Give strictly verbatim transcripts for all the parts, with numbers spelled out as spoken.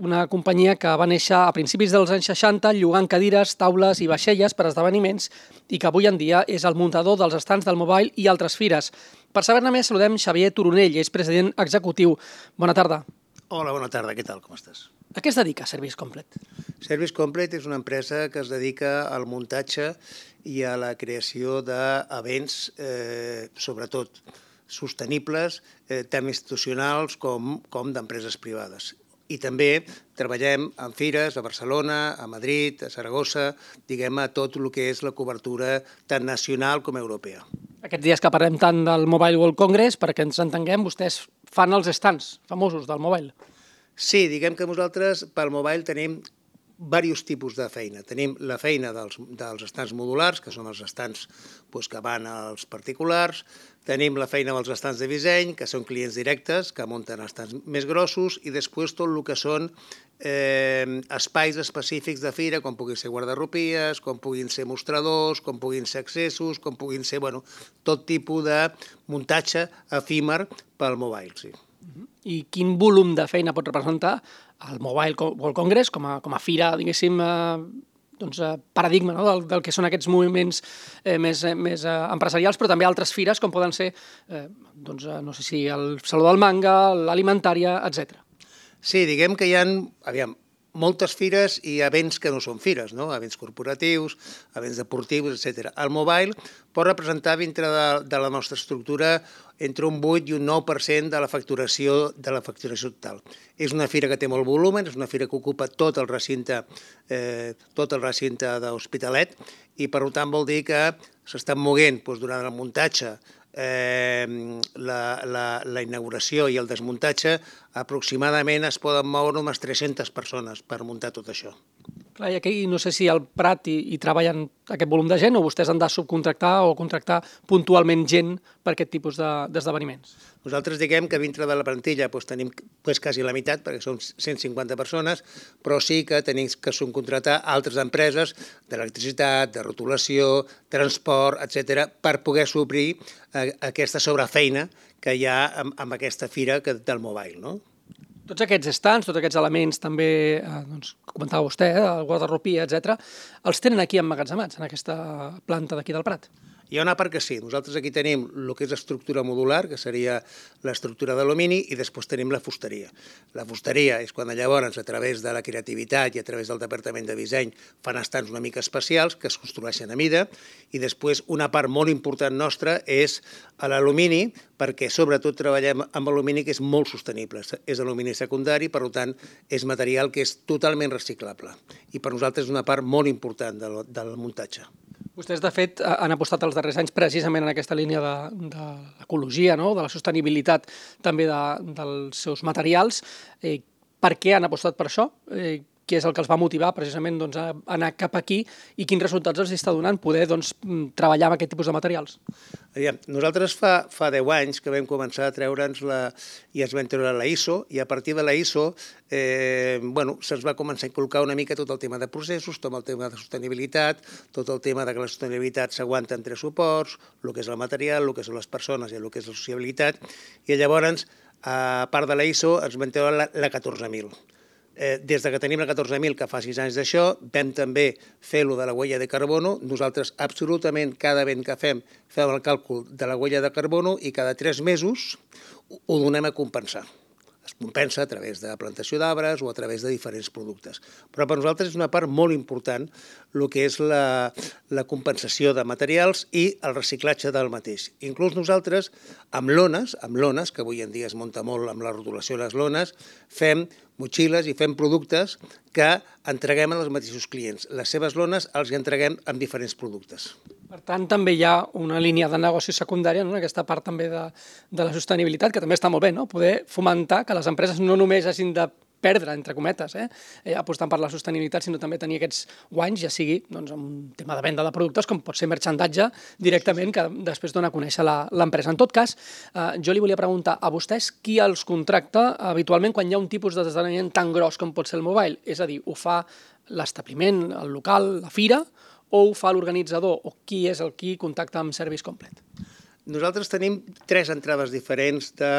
una companyia que va néixer a principis dels anys seixanta llogant cadires, taules i vaixelles per esdeveniments i que avui en dia és el muntador dels estands del Mobile i altres fires. Per saber-ne més, saludem Xavier Turonell, és president executiu. Bona tarda. Hola, bona tarda, què tal, com estàs? A què es dedica Service Complete? Service Complete és una empresa que es dedica al muntatge i a la creació d'events, eh, sobretot sostenibles, eh, tant institucionals com, com d'empreses privades. I també treballem en fires a Barcelona, a Madrid, a Saragossa, diguem, a tot el que és la cobertura tant nacional com europea. Aquests dies que parlem tant del Mobile World Congress, perquè ens entenguem, vostès fan els stands famosos del Mobile. Sí, diguem que nosaltres pel Mobile tenim diversos tipus de feina. Tenim la feina dels, dels estands modulars, que són els estands doncs, que van als particulars. Tenim la feina dels estands de disseny, que són clients directes, que munten estands més grossos, i després tot el que són eh, espais específics de fira, com puguin ser guardarropies, com puguin ser mostradors, com puguin ser accessos, com puguin ser bueno, tot tipus de muntatge efímer pel Mobile, sí. I quin volum de feina pot representar el Mobile World Congress com a, com a fira, diguéssim, eh, doncs, eh, paradigma, no? del, del que són aquests moviments eh, més, eh, més eh, empresarials, però també altres fires com poden ser, eh, doncs, eh, no sé si el Saló del Manga, l'Alimentària, etcètera. Sí, diguem que hi ha, aviam, moltes fires i events que no són fires, no? Events corporatius, events deportius, etcètera. El Mobile pot representar dintre de, de la nostra estructura entre un vuit i un nou per cent de la facturació de la facturació total. És una fira que té molt volum, és una fira que ocupa tot el recinte, eh, tot el recinte d'Hospitalet i per tant vol dir que s'estan moguent doncs, durant el muntatge, eh, la, la, la inauguració i el desmuntatge, aproximadament es poden moure unes tres-centes persones per muntar tot això. Clar, i aquí no sé si al Prat hi, hi treballen aquest volum de gent o vostès han de subcontractar o contractar puntualment gent per aquest tipus d'esdeveniments. De, Nosaltres diguem que dintre de la plantilla doncs, tenim doncs, quasi la meitat, perquè són cent cinquanta persones, però sí que tenim que subcontratar altres empreses d'electricitat, de rotulació, transport, etcètera, per poder suplir eh, aquesta sobrefeina que hi ha amb, amb aquesta fira que, del Mobile, no? Tots aquests stands, tots aquests elements també, eh, doncs, comentava vostè, eh, el guardarropia, etcètera, els tenen aquí emmagatzemats, en aquesta planta d'aquí del Prat? Hi ha una part que sí. Nosaltres aquí tenim el que és estructura modular, que seria l'estructura d'alumini, i després tenim la fusteria. La fusteria és quan llavors, a través de la creativitat i a través del departament de disseny, fan estands una mica especials que es construeixen a mida, i després una part molt important nostra és l'alumini, perquè sobretot treballem amb alumini que és molt sostenible. És alumini secundari, per tant, és material que és totalment reciclable. I per nosaltres és una part molt important del, del muntatge. Vostès, de fet, han apostat els darrers anys precisament en aquesta línia de, de l'ecologia, no? De la sostenibilitat també de, dels seus materials. Eh, per què han apostat per això? Eh, què és el que els va motivar precisament doncs, a anar cap aquí i quins resultats els està donant poder doncs, treballar amb aquest tipus de materials? Aviam, nosaltres fa, fa deu anys que vam començar a treure'ns la, i ens vam treure la I S O, i a partir de la I S O eh, bueno, se'ns va començar a inculcar una mica tot el tema de processos, tot el tema de sostenibilitat, tot el tema de que la sostenibilitat s'aguanta en tres suports, el que és el material, el que són les persones i el que és la sociabilitat, i llavors, a part de la I S O, ens vam treure la, la catorze mil. Eh, des de que tenim la catorze mil, que fa sis anys d'això, vam també fer lo de la huella de carbono. Nosaltres absolutament cada event que fem fem el càlcul de la huella de carbono i cada tres mesos ho donem a compensar. Es compensa a través de la plantació d'arbres o a través de diferents productes. Però per nosaltres és una part molt important el que és la, la compensació de materials i el reciclatge del mateix. Inclús nosaltres, amb lones, amb lones, que avui en dia es munta molt amb la rotulació de les lones, fem motxilles i fem productes que entreguem als mateixos clients. Les seves lones els entreguem amb diferents productes. Per tant, també hi ha una línia de negoci secundària, no? Aquesta part també de, de la sostenibilitat, que també està molt bé, no? Poder fomentar que les empreses no només hagin de perdre, entre cometes, eh? Eh, apostant per la sostenibilitat, sinó també tenir aquests guanys, ja sigui doncs, amb un tema de venda de productes, com pot ser merchandatge directament, que després dona a conèixer l'empresa. En tot cas, eh, jo li volia preguntar a vostès qui els contracta habitualment quan hi ha un tipus d'esdeveniment tan gros com pot ser el Mobile? És a dir, ho fa l'establiment, el local, la fira, o ho fa l'organitzador, o qui és el qui contacta amb Service Complete? Nosaltres tenim tres entrades diferents de,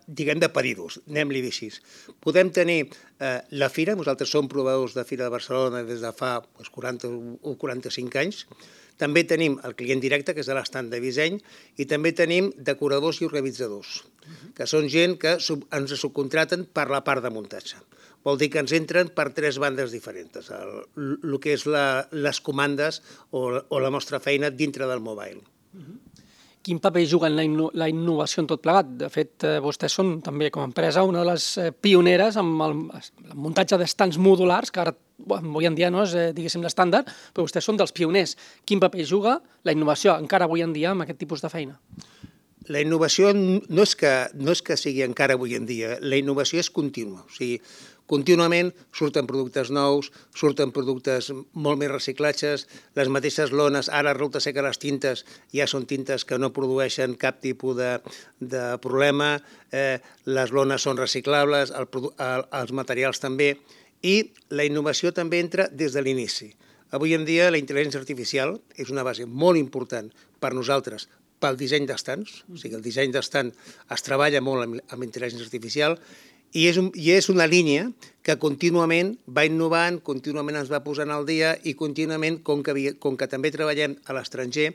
diguem, de pedidos, anem-li així. Podem tenir eh, la fira, nosaltres som provadors de Fira de Barcelona des de fa pues, quaranta o quaranta-cinc anys. També tenim el client directe, que és l'estant de disseny, i també tenim decoradors i organitzadors, que són gent que sub, ens subcontraten per la part de muntatge. Vol dir que ens entren per tres bandes diferents, el, el que és la, les comandes o, o la nostra feina dintre del mobile. Quin paper juga en la, inno la innovació en tot plegat? De fet, eh, vostès són també com a empresa una de les eh, pioneres amb el, el muntatge d'estants modulars, que ara bueno, avui en dia no és, eh, diguéssim, l'estàndard, però vostès són dels pioners. Quin paper juga la innovació encara avui en dia amb aquest tipus de feina? La innovació no és que, no és que sigui encara avui en dia, la innovació és contínua. O sigui, contínuament surten productes nous, surten productes molt més reciclatges, les mateixes lones, ara resulta ser que les tintes ja són tintes que no produeixen cap tipus de, de problema, eh, les lones són reciclables, el, el, els materials també, i la innovació també entra des de l'inici. Avui en dia la intel·ligència artificial és una base molt important per nosaltres, pel disseny d'estants, o sigui, el disseny d'estant es treballa molt amb, amb intel·ligència artificial, i és, un, i és una línia que contínuament va innovant, contínuament ens va posant al dia i contínuament, com que, com que també treballem a l'estranger,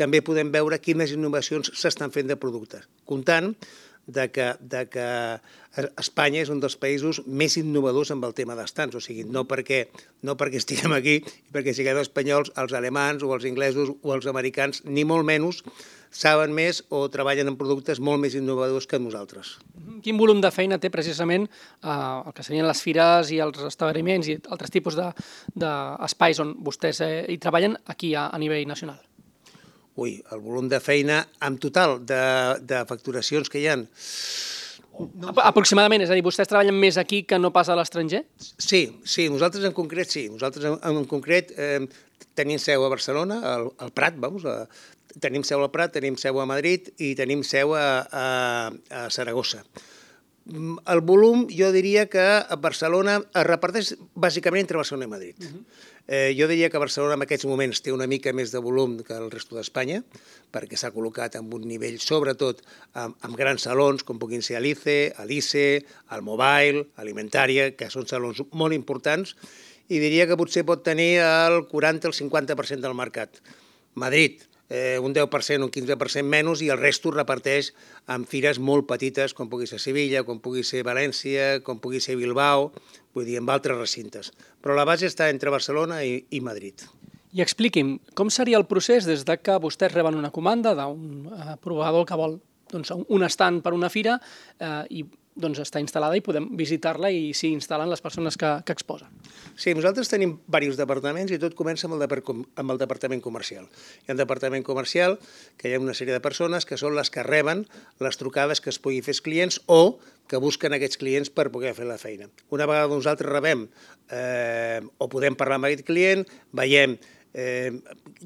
també podem veure quines innovacions s'estan fent de productes, comptant de que, de que Espanya és un dels països més innovadors amb el tema d'estants, o sigui, no perquè, no perquè estiguem aquí i perquè siguem espanyols, els alemans o els inglesos o els americans, ni molt menys, saben més o treballen en productes molt més innovadors que nosaltres. Quin volum de feina té precisament eh, el que serien les fires i els establiments i altres tipus d'espais on vostès eh, hi treballen aquí a, a nivell nacional? Ui, el volum de feina en total de, de facturacions que hi ha... No. Aproximadament, és a dir, vostès treballen més aquí que no pas a l'estranger? Sí, sí, nosaltres en concret sí. Nosaltres en, en concret eh, tenim seu a Barcelona, al, al Prat, vamos, a, tenim seu al Prat, tenim seu a Madrid i tenim seu a, a, a Saragossa. El volum, jo diria que a Barcelona es reparteix bàsicament entre Barcelona i Madrid. Uh-huh. eh, jo diria que Barcelona en aquests moments té una mica més de volum que el resto d'Espanya, perquè s'ha col·locat en un nivell, sobretot, amb, amb grans salons, com puguin ser Alice, Alice, el Mobile, Alimentària, que són salons molt importants, i diria que potser pot tenir el quaranta al cinquanta per cent del mercat. Madrid, Eh, un deu per cent o un quinze per cent menys, i el resto es reparteix en fires molt petites, com pugui ser Sevilla, com pugui ser València, com pugui ser Bilbao, vull dir, en altres recintes. Però la base està entre Barcelona i, i Madrid. I expliqui'm, com seria el procés des de que vostès reben una comanda d'un eh, proveïdor que vol doncs, un estand per una fira eh, i doncs, està instal·lada i podem visitar-la i s'hi instal·len les persones que, que exposen. Sí, nosaltres tenim diversos departaments i tot comença amb el, depart amb el departament comercial. Hi ha un departament comercial que hi ha una sèrie de persones que són les que reben les trucades que es pugui fer als clients o que busquen aquests clients per poder fer la feina. Una vegada nosaltres rebem eh, o podem parlar amb aquest client, veiem eh,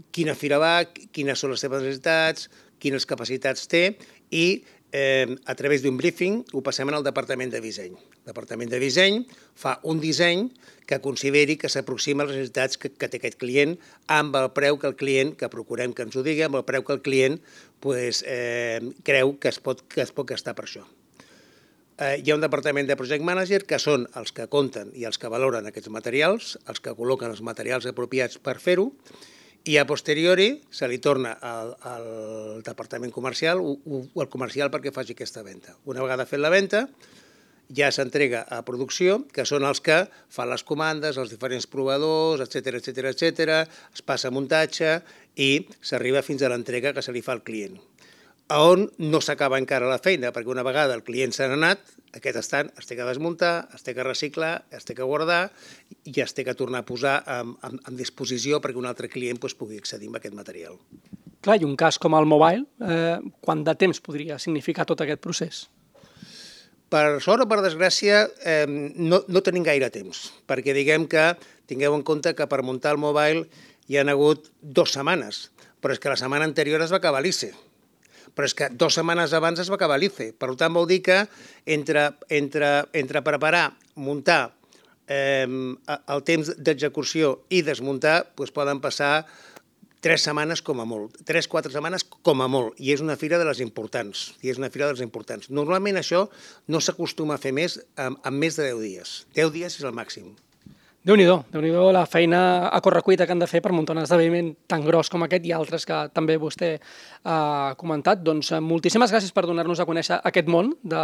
quina fira va, quines són les seves necessitats, quines capacitats té i Eh, a través d'un briefing ho passem al departament de disseny. El departament de disseny fa un disseny que consideri que s'aproxima a les necessitats que, que té aquest client amb el preu que el client, que procurem que ens ho digui, amb el preu que el client pues, eh, creu que es, pot, que es pot gastar per això. Eh, hi ha un departament de project manager que són els que compten i els que valoren aquests materials, els que col·loquen els materials apropiats per fer-ho, i a posteriori se li torna al, al departament comercial o, o al comercial perquè faci aquesta venda. Una vegada fet la venda, ja s'entrega a producció, que són els que fan les comandes, els diferents proveïdors, etcètera, etcètera, etcètera, es passa a muntatge i s'arriba fins a l'entrega que se li fa al client. A on no s'acaba encara la feina, perquè una vegada el client s'ha anat, aquest estand es té que desmuntar, es té que reciclar, es té que guardar i es té que tornar a posar en, en, en disposició perquè un altre client pues, pugui accedir a aquest material. Clar, i un cas com el Mobile, eh, quant de temps podria significar tot aquest procés? Per sort o per desgràcia, eh, no, no tenim gaire temps, perquè diguem que tingueu en compte que per muntar el Mobile hi han hagut dues setmanes, però és que la setmana anterior es va acabar l'I C E. Però és que dues setmanes abans es va acabar l'I C E. Per tant, vol dir que entre, entre, entre preparar, muntar, eh, el temps d'execució i desmuntar, doncs poden passar tres setmanes com a molt, tres, quatre setmanes com a molt, i és una fira de les importants, i és una fira de les importants. Normalment això no s'acostuma a fer més en, en més de deu dies. deu dies és el màxim. Déu-n'hi-do, Déu-n'hi-do la feina a correcuita que han de fer per muntar un esdeveniment tan gros com aquest i altres que també vostè ha comentat. Doncs moltíssimes gràcies per donar-nos a conèixer aquest món de,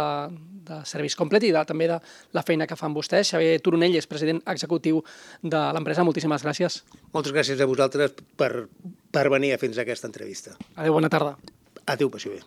de Service Complet i de, també de la feina que fan vostès. Xavier Turonell és president executiu de l'empresa. Moltíssimes gràcies. Moltes gràcies a vosaltres per, per venir a fer-nos aquesta entrevista. Adéu, bona tarda. Adéu, passi bé.